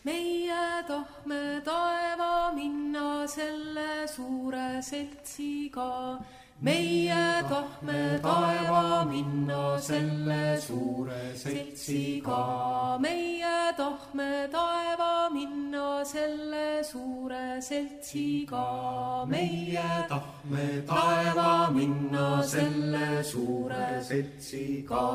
meie tahme taeva minna selle suure seltsiga. Meie tahme taeva minna selle suure seltsiga. Meie tahme taeva minna selle suure seltsiga. Meie tahme taeva minna selle suure seltsiga.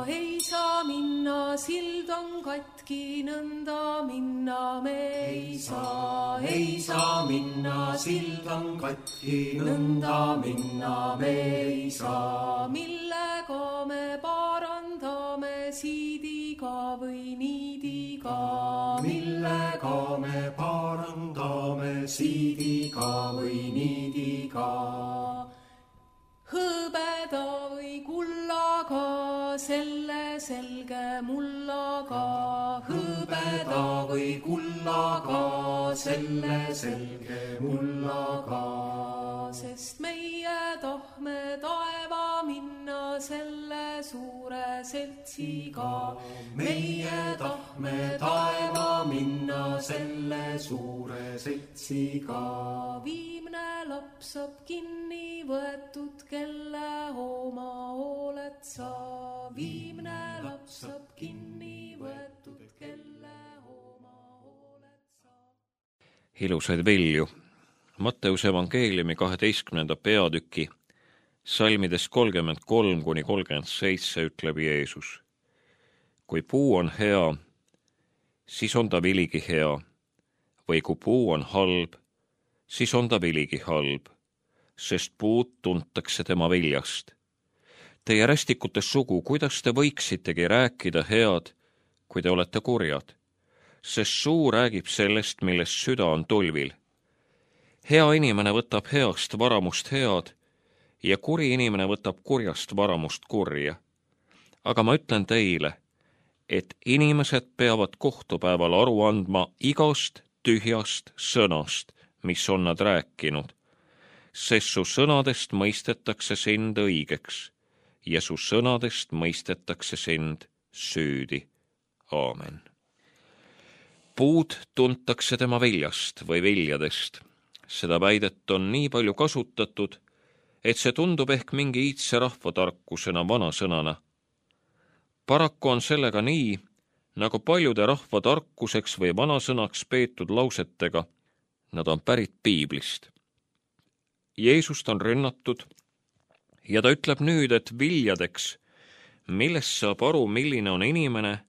Ei saa minna, sild on katki, nõnda minna me ei saa. Ei saa minna, sild on katki, nõnda minna me ei saa. Millega me parandame, siidiga või niidiga? Millega me parandame, siidiga või niidiga? Hõbeda või kullaga, selle selge mullaga. Hõbeda või kullaga, selle selge mullaga. Sest meie tahme taeva minna selle suure seltsiga. Meie tahme taeva minna selle suure seltsiga. Viimne laps saab kinni võetud, kelle oma hooled sa. Viimne laps saab kinni võetud, kelle oma hooled sa. Ilusaid vilju. Matteuse evangeeliumi 12. peatüki salmidest 33–37 ütleb Jeesus. Kui puu on hea, siis on ta viligi hea, või kui puu on halb, siis on ta viligi halb, sest puud tuntakse tema viljast. Teie rästikute sugu, kuidas te võiksitegi rääkida head, kui te olete kurjad, sest suu räägib sellest, millest süda on tulvil. Hea inimene võtab heast varamust head ja kuri inimene võtab kurjast varamust kurja. Aga ma ütlen teile, et inimesed peavad kohtupäeval aru andma igast tühjast sõnast, mis on nad rääkinud, sest su sõnadest mõistetakse sind õigeks ja su sõnadest mõistetakse sind süüdi. Aamen. Puud tuntakse tema viljast või viljadest. Seda väidet on nii palju kasutatud, et see tundub ehk mingi iidse rahvatarkusena vanasõnana. Paraku on sellega nii, nagu paljude rahvatarkuseks või vanasõnaks peetud lausetega. Nad on pärit Piiblist. Jeesust on rünnatud ja ta ütleb nüüd, et viljadeks, millest saab aru, milline on inimene,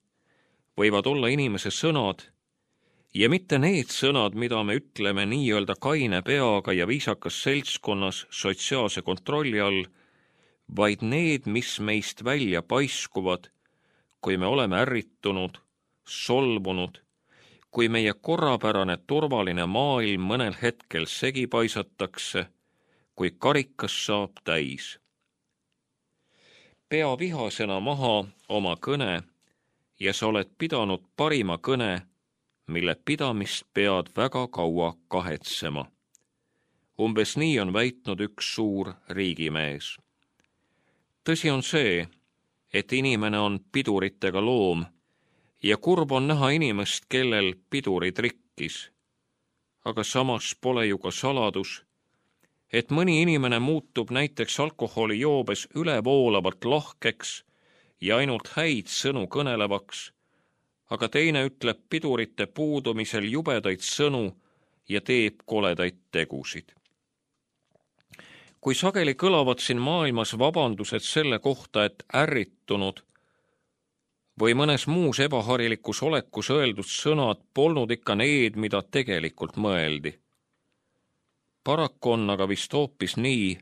võivad olla inimese sõnad, ja mitte need sõnad, mida me ütleme nii-öelda kaine peaga ja viisakas seltskonnas sotsiaalse kontrolli all, vaid need, mis meist välja paiskuvad, kui me oleme ärritunud, solvunud, kui meie korrapärane turvaline maailm mõnel hetkel segi paisatakse, kui karikas saab täis. Pea vihasena maha oma kõne ja sa oled pidanud parima kõne, mille pidamist pead väga kaua kahetsema. Umbes nii on väitnud üks suur riigimees. Tõsi on see, et inimene on piduritega loom ja kurb on näha inimest, kellel pidurid rikkis. Aga samas pole ju ka saladus, et mõni inimene muutub näiteks alkoholijoobes ülevoolavalt lahkeks ja ainult häid sõnu kõnelevaks, aga teine ütleb pidurite puudumisel jubedaid sõnu ja teeb koledaid tegusid. Kui sageli kõlavad siin maailmas vabandused selle kohta, et ärritunud või mõnes muus ebaharilikus olekus öeldud sõnad polnud ikka need, mida tegelikult mõeldi. Paraku on aga vist hoopis nii,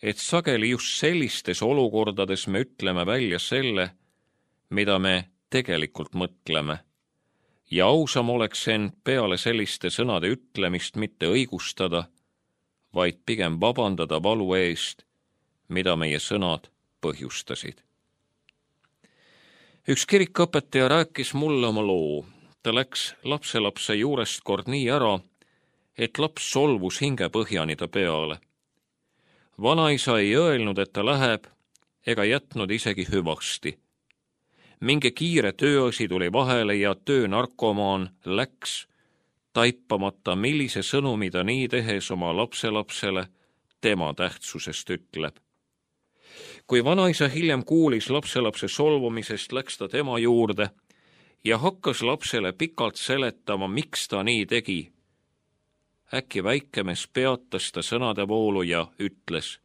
et sageli just sellistes olukordades me ütleme välja selle, mida me tegelikult mõtleme, ja ausam oleks end peale selliste sõnade ütlemist mitte õigustada, vaid pigem vabandada valu eest, mida meie sõnad põhjustasid. Üks kirikuõpetaja rääkis mulle oma loo. Ta läks lapselapse juurest kord nii ära, et laps solvus hingepõhjani ta peale. Vanaisa ei öelnud, et ta läheb, ega jätnud isegi hüvasti. mingi kiire tööasi tuli vahele ja töönarkomaan läks, taipamata, millise sõnumi ta nii tehes oma lapselapsele tema tähtsusest ütleb. Kui vanaisa hiljem kuulis lapselapse solvumisest, läks ta tema juurde ja hakkas lapsele pikalt seletama, miks ta nii tegi. Äkki väikemees peatas ta sõnade voolu ja ütles: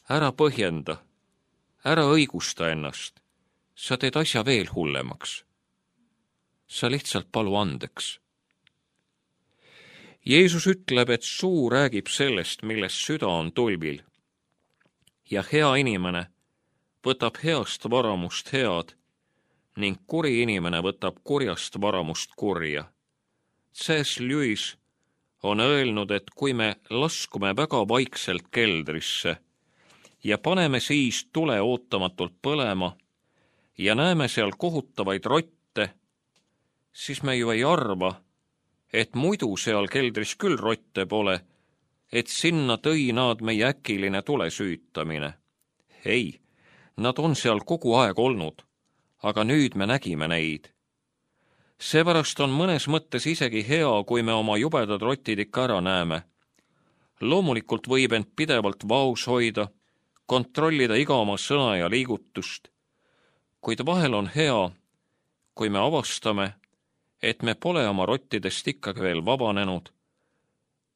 ära põhjenda, ära õigusta ennast, sa teed asja veel hullemaks. Sa lihtsalt palu andeks. Jeesus ütleb, et suu räägib sellest, millest süda on tulvil. Ja hea inimene võtab heast varamust head ning kuri inimene võtab kurjast varamust kurja. C.S. Lewis on öelnud, et kui me laskume väga vaikselt keldrisse ja paneme siis tule ootamatult põlema ja näeme seal kohutavaid rotte, siis me ju ei arva, et muidu seal keldris küll rotte pole, et sinna tõi nad meie äkiline tule süütamine. Ei, nad on seal kogu aeg olnud, aga nüüd me nägime neid. Seepärast on mõnes mõttes isegi hea, kui me oma jubedad rotid ikka ära näeme. Loomulikult võib end pidevalt vaos hoida, kontrollida iga oma sõna ja liigutust, kuid vahel on hea, kui me avastame, et me pole oma rottidest ikkagi veel vabanenud,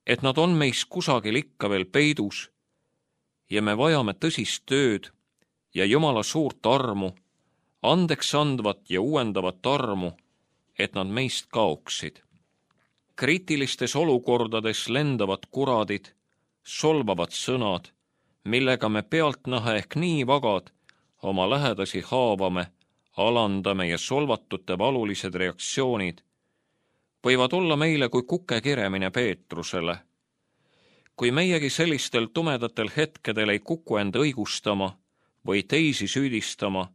et nad on meis kusagil ikka veel peidus ja me vajame tõsist tööd ja Jumala suurt armu, andeks andvat ja uuendavat armu, et nad meist kaoksid. Kriitilistes olukordades lendavad kuradid, solvavad sõnad, millega me pealtnäha ehk nii vagad oma lähedasi haavame, alandame ja solvatute valulised reaktsioonid võivad olla meile kui kuke kiremine Peetrusele. Kui meiegi sellistel tumedatel hetkedel ei kuku end õigustama või teisi süüdistama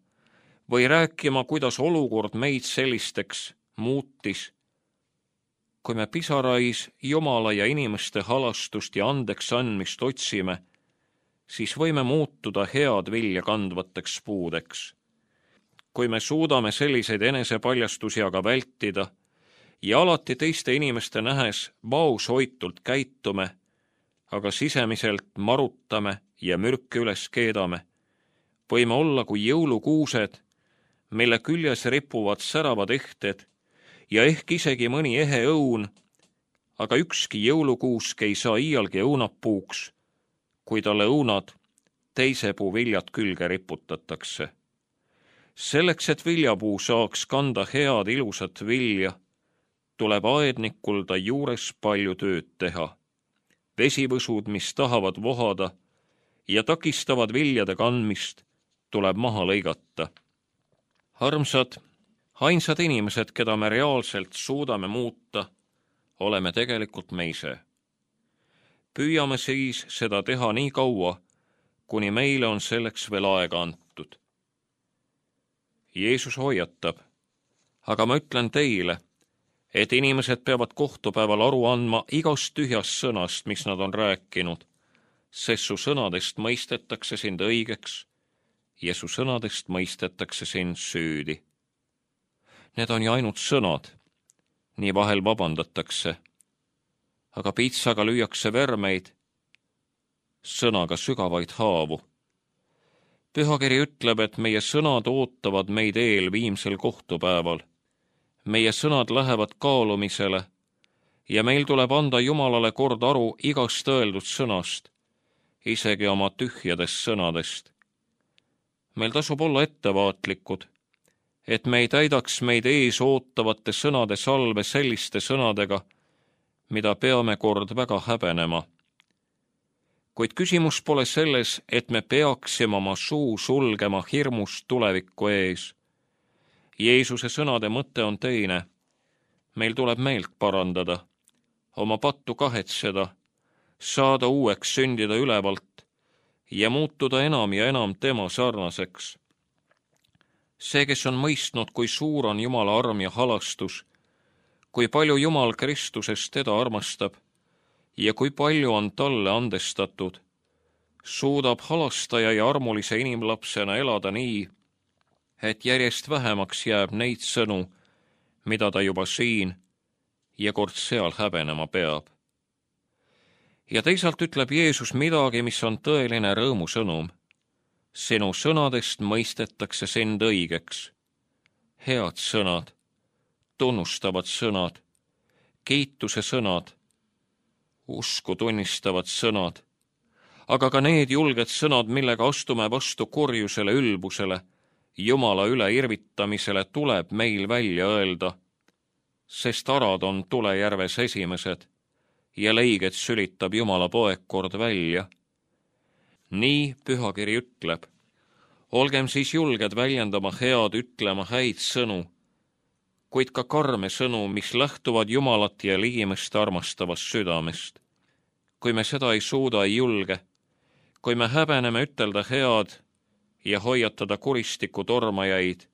või rääkima, kuidas olukord meid sellisteks muutis, kui me pisarais Jumala ja inimeste halastust ja andeks andmist otsime, siis võime muutuda head vilja kandvateks puudeks. Kui me suudame selliseid enesepaljastusi aga vältida ja alati teiste inimeste nähes vaoshoitult käitume, aga sisemiselt marutame ja mürke üles keedame, võime olla kui jõulukuused, mille küljes ripuvad säravad ehted ja ehk isegi mõni ehe õun, aga ükski jõulukuusk ei saa iialgi õunapuuks, kui talle õunad teise puu viljad külge riputatakse. Selleks, et viljapuu saaks kanda head ilusat vilja, tuleb aednikul ta juures palju tööd teha. Vesivõsud, mis tahavad vohada ja takistavad viljade kandmist, tuleb maha lõigata. Armsad, ainsad inimesed, keda me reaalselt suudame muuta, oleme tegelikult me ise. Püüame siis seda teha nii kaua, kuni meile on selleks veel aega antud. Jeesus hoiatab, aga ma ütlen teile, et inimesed peavad kohtupäeval aru andma igast tühjast sõnast, mis nad on rääkinud, sest su sõnadest mõistetakse sind õigeks ja su sõnadest mõistetakse sind süüdi. Need on ju ainult sõnad, nii vahel vabandatakse, aga pitsaga lüüakse vermeid, sõnaga sügavaid haavu. Pühakiri ütleb, et meie sõnad ootavad meid eel viimsel kohtupäeval. Meie sõnad lähevad kaalumisele ja meil tuleb anda Jumalale kord aru igast öeldud sõnast, isegi oma tühjadest sõnadest. Meil tasub olla ettevaatlikud, et me ei täidaks meid ees ootavate sõnade salve selliste sõnadega, mida peame kord väga häbenema. Kuid küsimus pole selles, et me peaksime oma suu sulgema hirmust tuleviku ees. Jeesuse sõnade mõte on teine. Meil tuleb meelt parandada, oma pattu kahetseda, saada uueks, sündida ülevalt ja muutuda enam ja enam tema sarnaseks. See, kes on mõistnud, kui suur on Jumala arm ja halastus, kui palju Jumal Kristuses teda armastab ja kui palju on talle andestatud, suudab halastaja ja armulise inimlapsena elada nii, et järjest vähemaks jääb neid sõnu, mida ta juba siin ja kord seal häbenema peab. Ja teisalt ütleb Jeesus midagi, mis on tõeline rõõmusõnum. Sinu sõnadest mõistetakse sind õigeks. Head sõnad, tunnustavad sõnad, kiituse sõnad, usku tunnistavad sõnad, aga ka need julged sõnad, millega astume vastu kurjusele, ülbusele, Jumala üle irvitamisele, tuleb meil välja öelda, sest arad on tulejärves esimesed ja leiged sülitab Jumala poeg kord välja. Nii pühakiri ütleb. Olgem siis julged väljendama head, ütlema häid sõnu, kuid ka karme sõnu, mis lähtuvad Jumalat ja ligimest armastavast südamest. Kui me seda ei suuda, ei julge, kui me häbeneme ütelda head ja hoiatada kuristiku tormajaid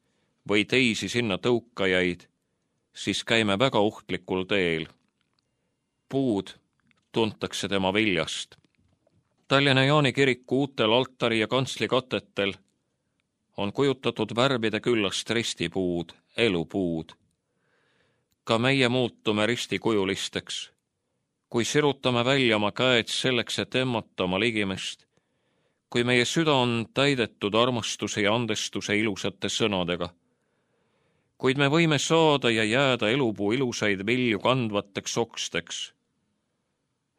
või teisi sinna tõukajaid, siis käime väga ohtlikul teel. Puud tuntakse tema viljast. Tallinna Jaani kiriku uutel altari ja kantsli katetel on kujutatud värvide küllast ristipuud, elupuud. Ka meie muutume ristikujulisteks, kui sirutame välja oma käed selleks, et emmata oma ligimest, kui meie süda on täidetud armastuse ja andestuse ilusate sõnadega. Kuid me võime saada ja jääda elupuu ilusaid vilju kandvateks oksteks.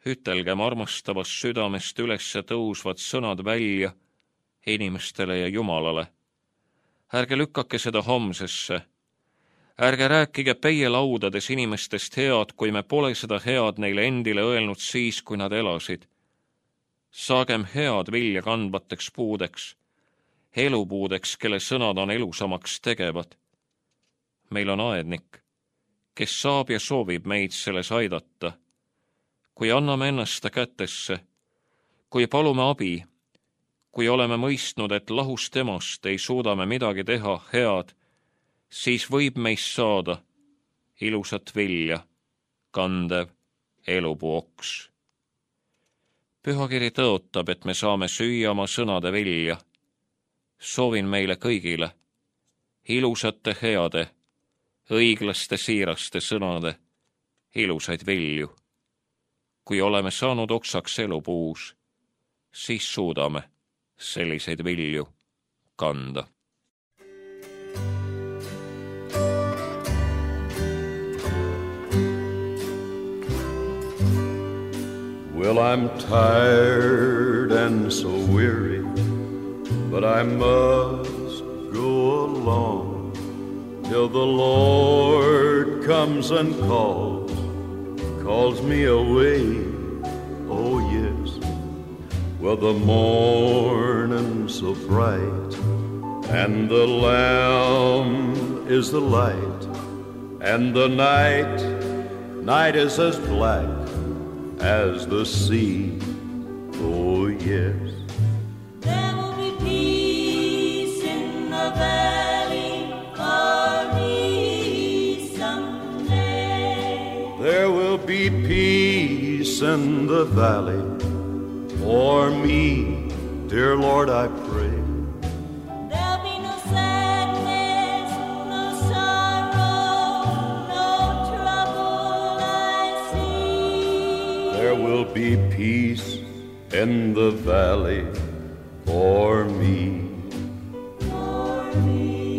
Ütelgem armastavast südamest ülesse tõusvad sõnad välja inimestele ja Jumalale. Ärge lükkake seda homsesse. Ärge rääkige peielaudades inimestest head, kui me pole seda head neile endile öelnud siis, kui nad elasid. Saagem head vilja kandvateks puudeks, elupuudeks, kelle sõnad on elusamaks tegevad. Meil on aednik, kes saab ja soovib meid selles aidata. Kui anname ennast ta kätesse, kui palume abi, kui oleme mõistnud, et lahus temast ei suuda me midagi teha head, siis võib meist saada ilusat vilja, kandev elupuu oks. Pühakiri tõotab, et me saame süüa oma sõnade vilja. Soovin meile kõigile ilusate, heade, õiglaste, siiraste sõnade ilusaid vilju. Kui oleme saanud oksaks elupuus, siis suudame selliseid vilju kanda. Well, I'm tired and so weary, but I must go along till the Lord comes and calls me away. Oh yes, well the morning's so bright, and the Lamb is the light, and the night is as black as the sea. Oh yes, there will be peace in the valley for me someday. There will be peace in the valley for me, dear Lord, I pray. There'll be no sadness, no sorrow, no trouble I see. There will be peace in the valley for me. For me.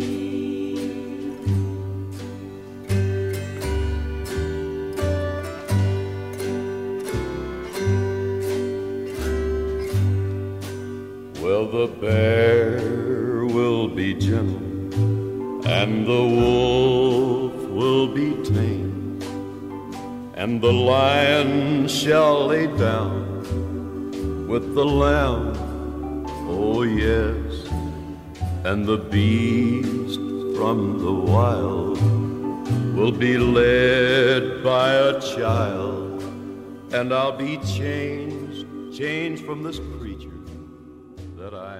Well, the bear will be gentle, and the wolf will be tame, and the lion shall lay down with the lamb, oh yes, and the beast from the wild will be led by a child, and I'll be changed from this creature that I